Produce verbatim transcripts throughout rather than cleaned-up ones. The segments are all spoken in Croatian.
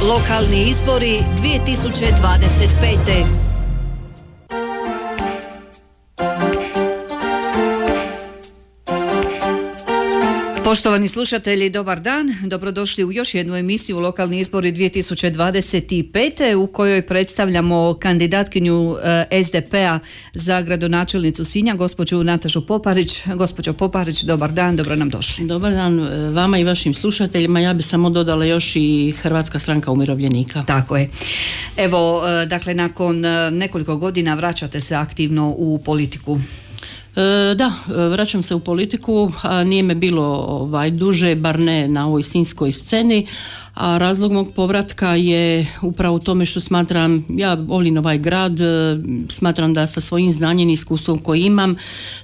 Lokalni izbori dvije tisuće dvadeset pete. Poštovani slušatelji, dobar dan. Dobrodošli u još jednu emisiju Lokalni izbori dvije tisuće dvadeset pete u kojoj predstavljamo kandidatkinju es de pe-a za gradonačelnicu Sinja, gospođu Natašu Poparić. Gospođo Poparić, dobar dan, dobro nam došli. Dobar dan vama i vašim slušateljima. Ja bi samo dodala još i Hrvatska stranka umirovljenika. Tako je. Evo, dakle, nakon nekoliko godina vraćate se aktivno u politiku. E, da, vraćam se u politiku, a nije me bilo ovaj, duže, bar ne na ovoj sinjskoj sceni, a razlog mog povratka je upravo u tome što smatram, ja volim ovaj grad, smatram da sa svojim znanjem i iskustvom koji imam,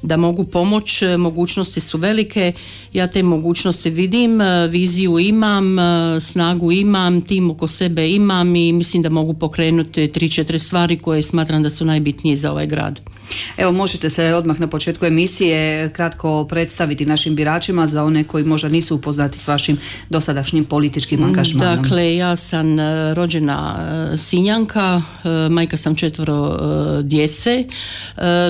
da mogu pomoć, mogućnosti su velike, ja te mogućnosti vidim, viziju imam, snagu imam, tim oko sebe imam i mislim da mogu pokrenuti tri, četiri stvari koje smatram da su najbitnije za ovaj grad. Evo, možete se odmah na početku emisije kratko predstaviti našim biračima za one koji možda nisu upoznati s vašim dosadašnjim političkim angažmanom. Dakle, ja sam rođena Sinjanka, majka sam četvoro djece.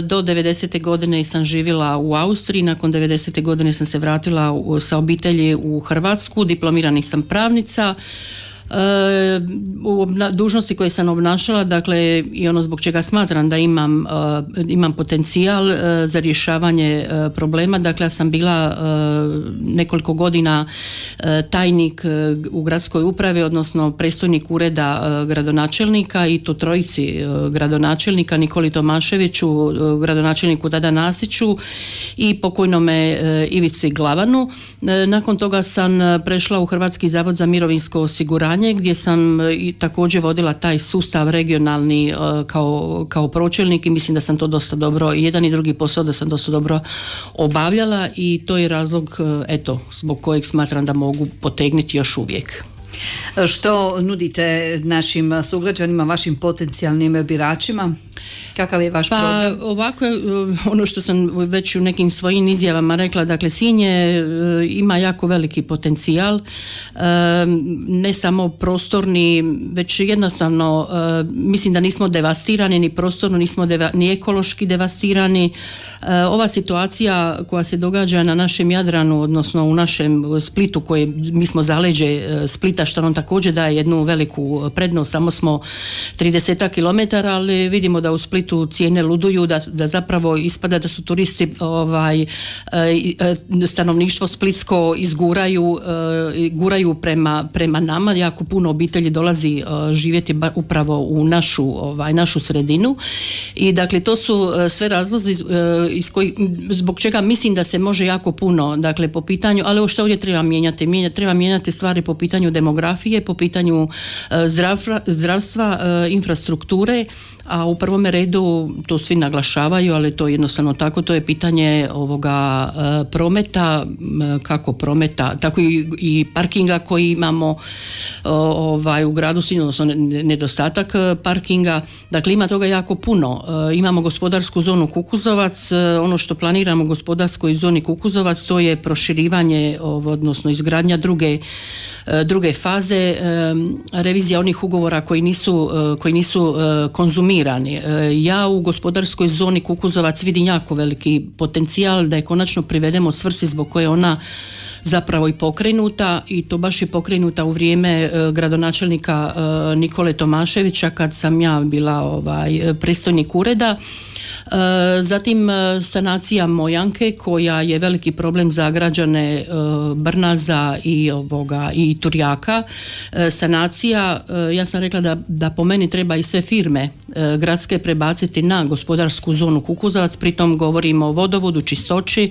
Do devedesete godine sam živjela u Austriji, nakon devedesete godine sam se vratila sa obitelji u Hrvatsku, diplomirani sam pravnica. U dužnosti koje sam obnašala, dakle i ono zbog čega smatram da imam, imam potencijal za rješavanje problema, dakle ja sam bila nekoliko godina tajnik u gradskoj upravi, odnosno predstojnik ureda gradonačelnika i to trojici gradonačelnika, Nikoli Tomaševiću, gradonačelniku tada Nasiću i pokojnome Ivici Glavanu. Nakon toga sam prešla u Hrvatski zavod za mirovinsko osiguranje gdje sam i također vodila taj sustav regionalni kao, kao pročelnik i mislim da sam to dosta dobro, jedan i drugi posao da sam dosta dobro obavljala i to je razlog, eto, zbog kojeg smatram da mogu potegnuti još uvijek. Što nudite našim sugrađanima, vašim potencijalnim biračima? Kakav je vaš pa, program? Pa ovako, ono što sam već u nekim svojim izjavama rekla, dakle Sinj je, ima jako veliki potencijal, ne samo prostorni, već jednostavno mislim da nismo devastirani ni prostorno, nismo deva, ni ekološki devastirani. Ova situacija koja se događa na našem Jadranu, odnosno u našem Splitu, koje mi smo zaleđe Splita, što nam također daje jednu veliku prednost, samo smo trideset kilometara, ali vidimo da u Splitu cijene luduju, da, da zapravo ispada da su turisti ovaj, stanovništvo splitsko izguraju guraju prema, prema nama, jako puno obitelji dolazi živjeti upravo u našu, ovaj, našu sredinu i dakle to su sve razlozi iz koji, zbog čega mislim da se može jako puno, dakle po pitanju, ali ovo što ovdje treba mijenjati, Mijenja, treba mijenjati stvari po pitanju demografije, po pitanju zdravstva, zdravstva infrastrukture, a u prvome redu to svi naglašavaju, ali to je jednostavno tako, to je pitanje ovoga e, prometa, kako prometa, tako i, i parkinga koji imamo o, ovaj, u gradu Sinju, odnosno nedostatak parkinga, dakle ima toga jako puno. E, imamo gospodarsku zonu Kukuzovac, e, ono što planiramo u gospodarskoj zoni Kukuzovac, to je proširivanje, odnosno izgradnja druge druge faze, revizija onih ugovora koji nisu, koji nisu konzumirani. Ja u gospodarskoj zoni Kukuzovac vidim jako veliki potencijal da je konačno privedemo svrsi zbog koje ona zapravo i pokrenuta i to baš je pokrenuta u vrijeme gradonačelnika Nikole Tomaševića kad sam ja bila ovaj, predstojnik ureda. Zatim sanacija Mojanke koja je veliki problem za građane Brnaza i, ovoga, i Turjaka. Sanacija, ja sam rekla da, da po meni treba i sve firme gradske prebaciti na gospodarsku zonu Kukuzovac, pritom govorimo o vodovodu, čistoći,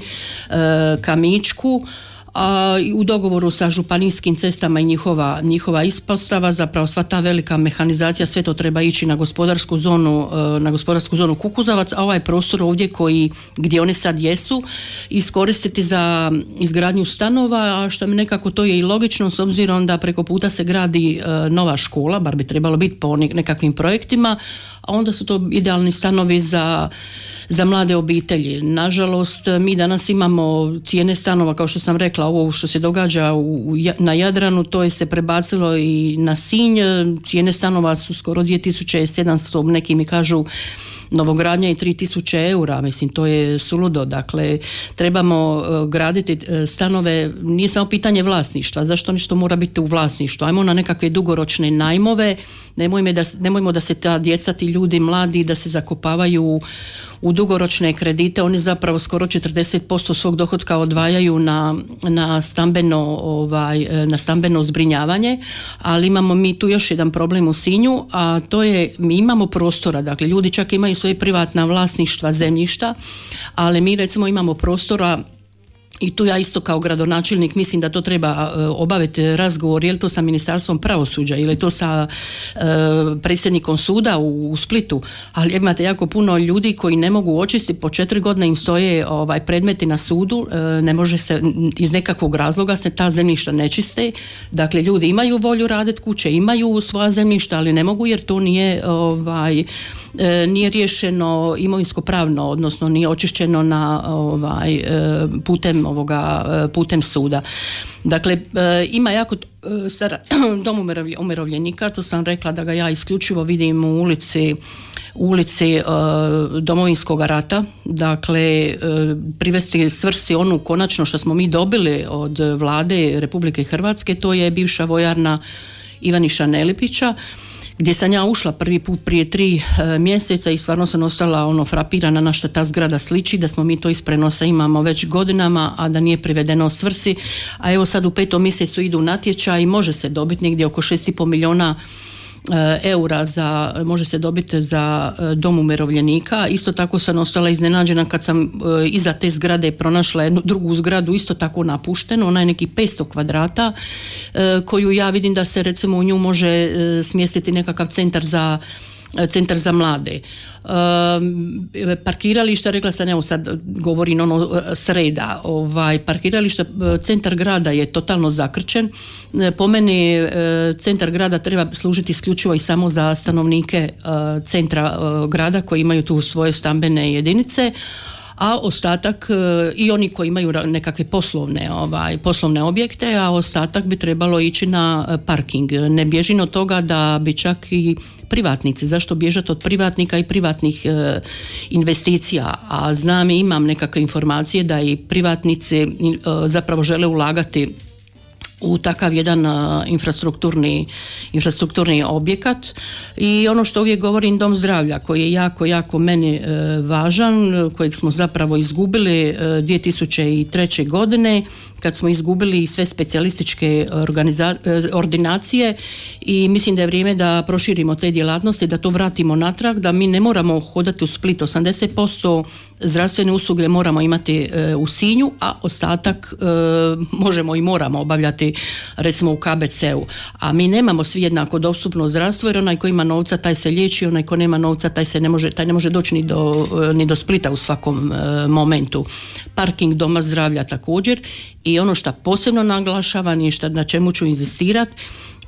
Kamičku, a u dogovoru sa županijskim cestama i njihova, njihova ispostava, zapravo sva ta velika mehanizacija, sve to treba ići na gospodarsku zonu, na gospodarsku zonu Kukuzovac, a ovaj prostor ovdje koji, gdje one sad jesu, iskoristiti za izgradnju stanova, a što mi nekako to je i logično s obzirom da preko puta se gradi nova škola, bar bi trebalo biti po nekakvim projektima, a onda su to idealni stanovi za za mlade obitelji. Nažalost, mi danas imamo cijene stanova, kao što sam rekla, rekla, ovo što se događa u, na Jadranu, to je se prebacilo i na Sinj. Cijene stanova su skoro dvije tisuće sedamsto, neki mi kažu novogradnja i tri tisuće eura, mislim, to je suludo. Dakle, trebamo graditi stanove, nije samo pitanje vlasništva, zašto nešto mora biti u vlasništvu, ajmo na nekakve dugoročne najmove, nemojmo da, nemojmo da se ta djeca, ti ljudi mladi, da se zakopavaju u dugoročne kredite, oni zapravo skoro četrdeset posto svog dohotka odvajaju na, na, stambeno, ovaj, na stambeno zbrinjavanje, ali imamo mi tu još jedan problem u Sinju, a to je, mi imamo prostora, dakle ljudi čak imaju svoje privatna vlasništva zemljišta, ali mi recimo imamo prostora. I tu ja isto kao gradonačelnik mislim da to treba obaviti razgovor, je li to sa Ministarstvom pravosuđa ili je to sa e, predsjednikom suda u, u Splitu, ali imate jako puno ljudi koji ne mogu očistiti, po četiri godine im stoje ovaj, predmeti na sudu, e, ne može se, iz nekakvog razloga se ta zemljišta ne čiste, dakle ljudi imaju volju raditi kuće, imaju svoja zemljišta, ali ne mogu jer to nije ovaj, nije riješeno imovinsko pravno, odnosno nije očišćeno na ovaj, putem ovoga putem suda. Dakle, ima jako stara dom umirovljenika, to sam rekla da ga ja isključivo vidim u ulici u ulici e, Domovinskog rata, dakle e, privesti svrsi onu konačno što smo mi dobili od vlade Republike Hrvatske, to je bivša vojarna Ivaniša Nelipića, gdje sam ja ušla prvi put prije tri e, mjeseca i stvarno sam ostala ono frapirana na što ta zgrada sliči, da smo mi to iz prenosa imamo već godinama, a da nije privedeno svrsi, a evo sad u petom mjesecu idu natječaj i može se dobiti negdje oko šest i pol milijuna eura za, može se dobiti za dom umirovljenika. Isto tako sam ostala iznenađena kad sam iza te zgrade pronašla jednu drugu zgradu, isto tako napuštenu, ona je neki petsto kvadrata, koju ja vidim da se recimo u nju može smjestiti nekakav centar za centar za mlade. E, parkirališta, rekla sam, evo sad govorim ono sreda, ovaj, parkirališta, centar grada je totalno zakrčen. E, po meni e, centar grada treba služiti isključivo i samo za stanovnike e, centra e, grada koji imaju tu svoje stambene jedinice, a ostatak i oni koji imaju nekakve poslovne, ovaj, poslovne objekte, a ostatak bi trebalo ići na parking. Ne bježim od toga da bi čak i privatnici, zašto bježati od privatnika i privatnih e, investicija, a znam i imam nekakve informacije da i privatnici e, zapravo žele ulagati u takav jedan uh, infrastrukturni, infrastrukturni objekat. I ono što uvijek govorim, dom zdravlja koji je jako, jako meni uh, važan, kojeg smo zapravo izgubili uh, dvije tisuće treće. godine, kad smo izgubili sve specijalističke organiza- ordinacije, i mislim da je vrijeme da proširimo te djelatnosti, da to vratimo natrag, da mi ne moramo hodati u Split. osamdeset posto zdravstvene usluge moramo imati e, u Sinju, a ostatak e, možemo i moramo obavljati recimo u K B C-u. A mi nemamo svi jednako dostupno zdravstvo, jer onaj ko ima novca taj se liječi, onaj ko nema novca taj se ne može, taj ne može doći ni do, ni do Splita u svakom e, momentu. Parking doma zdravlja također. I ono što posebno naglašavam i što, na čemu ću inzistirati,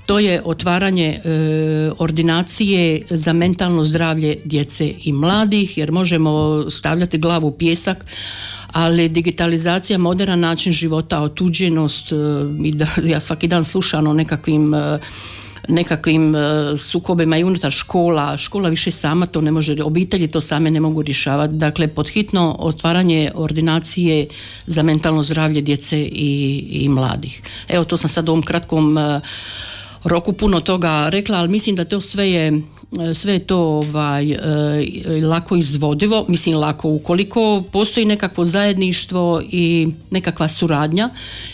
to je otvaranje e, ordinacije za mentalno zdravlje djece i mladih, jer možemo stavljati glavu u pijesak, ali digitalizacija, moderan način života, otuđenost, e, i da, ja svaki dan slušam o nekakvim e, nekakvim sukobima i unutar škola, škola više sama to ne može, obitelji to same ne mogu rješavati. Dakle, podhitno otvaranje ordinacije za mentalno zdravlje djece i, i mladih. Evo, to sam sad u ovom kratkom roku puno toga rekla, ali mislim da to sve je sve je to ovaj, e, lako izvodivo, mislim lako ukoliko postoji nekakvo zajedništvo i nekakva suradnja,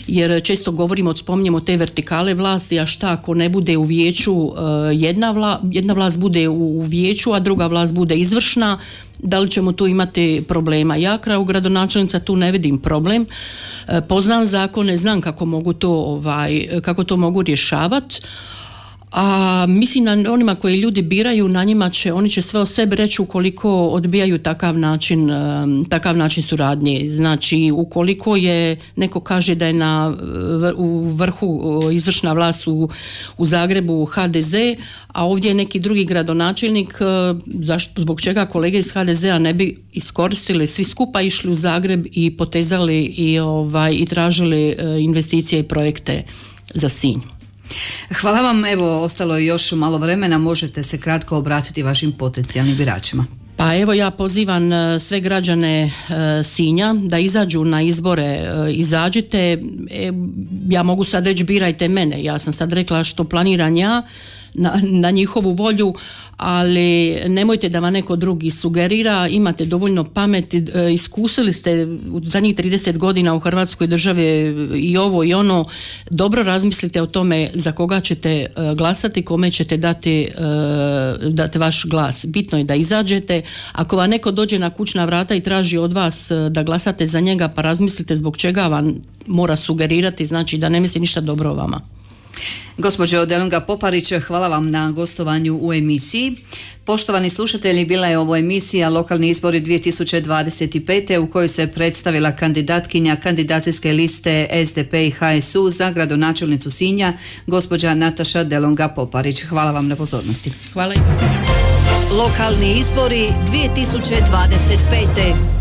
jer često govorimo, spominjemo te vertikale vlasti, a šta ako ne bude u vijeću e, jedna, vla, jedna vlast bude u, u vijeću, a druga vlast bude izvršna, da li ćemo tu imati problema? Ja kao gradonačelnica tu ne vidim problem. E, poznam zakone, znam kako mogu to, ovaj, kako to mogu rješavati, A mislim na onima koji ljudi biraju, na njima će, oni će sve o sebi reći ukoliko odbijaju takav način, takav način suradnje. Znači, ukoliko je, neko kaže da je na, u vrhu izvršna vlast u, u Zagrebu ha de ze, a ovdje je neki drugi gradonačelnik, zašto, zbog čega kolege iz ha de zea ne bi iskoristili, svi skupa išli u Zagreb i potezali i, ovaj, i tražili investicije i projekte za Sinj. Hvala vam, evo ostalo je još malo vremena, možete se kratko obratiti vašim potencijalnim biračima. Pa evo ja pozivam sve građane Sinja da izađu na izbore, izađite, ja mogu sad reći birajte mene, ja sam sad rekla što planiram ja, Na, na njihovu volju, ali nemojte da vam neko drugi sugerira, imate dovoljno pameti, iskusili ste u zadnjih trideset godina u Hrvatskoj državi i ovo i ono, dobro razmislite o tome za koga ćete glasati, kome ćete dati, dati vaš glas. Bitno je da izađete, ako vam neko dođe na kućna vrata i traži od vas da glasate za njega, pa razmislite zbog čega vam mora sugerirati, znači da ne misli ništa dobro o vama. Gospođo Delunga Poparić, hvala vam na gostovanju u emisiji. Poštovani slušatelji, bila je ovo emisija Lokalni izbori dvije tisuće dvadeset pet. u kojoj se predstavila kandidatkinja kandidacijske liste es de pe i ha es u za gradonačelnicu Sinja, gospođa Nataša Delunga Poparić. Hvala vam na pozornosti. Hvala. Lokalni izbori dvije tisuće dvadeset pet.